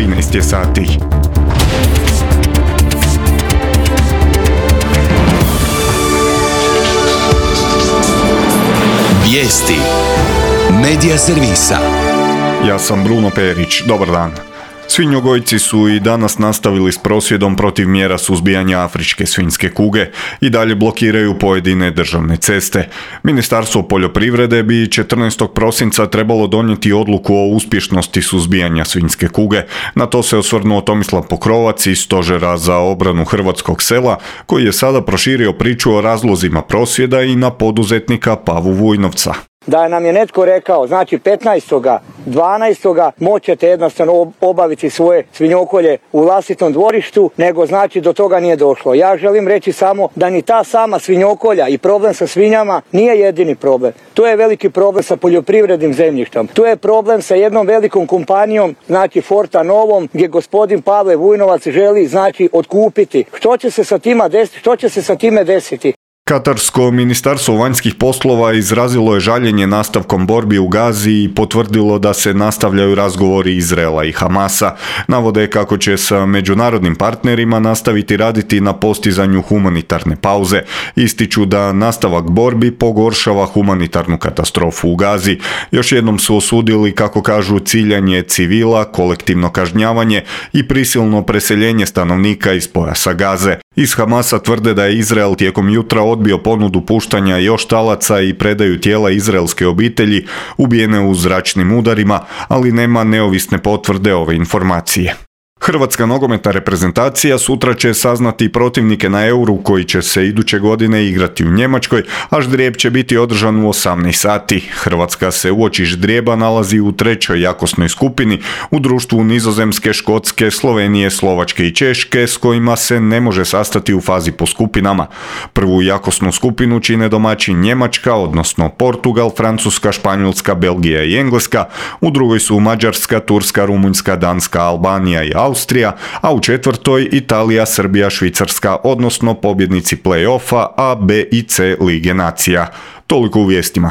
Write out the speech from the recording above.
13 je sati. Vijesti Medija servisa. Ja sam Bruno Perić, dobar dan. Svinjogojci su i danas nastavili s prosvjedom protiv mjera suzbijanja afričke svinjske kuge i dalje blokiraju pojedine državne ceste. Ministarstvo poljoprivrede bi 14. prosinca trebalo donijeti odluku o uspješnosti suzbijanja svinjske kuge. Na to se osvrnuo Tomislav Pokrovac iz Stožera za obranu hrvatskog sela, koji je sada proširio priču o razlozima prosvjeda i na poduzetnika Pavu Vujnovca. Da nam je netko rekao, znači 15.12. moćete jednostavno obaviti svoje svinjokolje u vlastitom dvorištu, nego znači do toga nije došlo. Ja želim reći samo da ni ta sama svinjokolja i problem sa svinjama nije jedini problem. To je veliki problem sa poljoprivrednim zemljištem. Tu je problem sa jednom velikom kompanijom, znači Forta Novom, gdje gospodin Pavle Vujnovac želi znači otkupiti. Što će se sa time desiti? Katarsko ministarstvo vanjskih poslova izrazilo je žaljenje nastavkom borbi u Gazi i potvrdilo da se nastavljaju razgovori Izraela i Hamasa. Navode kako će sa međunarodnim partnerima nastaviti raditi na postizanju humanitarne pauze. Ističu da nastavak borbi pogoršava humanitarnu katastrofu u Gazi. Još jednom su osudili, kako kažu, ciljanje civila, kolektivno kažnjavanje i prisilno preseljenje stanovnika iz pojasa Gaze. Iz Hamasa tvrde da je Izrael tijekom jutra odbio ponudu puštanja još talaca i predaju tijela izraelske obitelji ubijene u zračnim udarima, ali nema neovisne potvrde ove informacije. Hrvatska nogometna reprezentacija sutra će saznati protivnike na Euru koji će se iduće godine igrati u Njemačkoj, a ždrijeb će biti održan u 18 sati. Hrvatska se uoči ždrijeba nalazi u trećoj jakosnoj skupini u društvu Nizozemske, Škotske, Slovenije, Slovačke i Češke, s kojima se ne može sastati u fazi po skupinama. Prvu jakosnu skupinu čine domaći Njemačka, odnosno Portugal, Francuska, Španjolska, Belgija i Engleska, u drugoj su Mađarska, Turska, Rumunjska, Danska, Albanija i Austrija, a u četvrtoj Italija, Srbija, Švicarska, odnosno pobjednici play-offa A, B i C Lige nacija. Toliko u vijestima.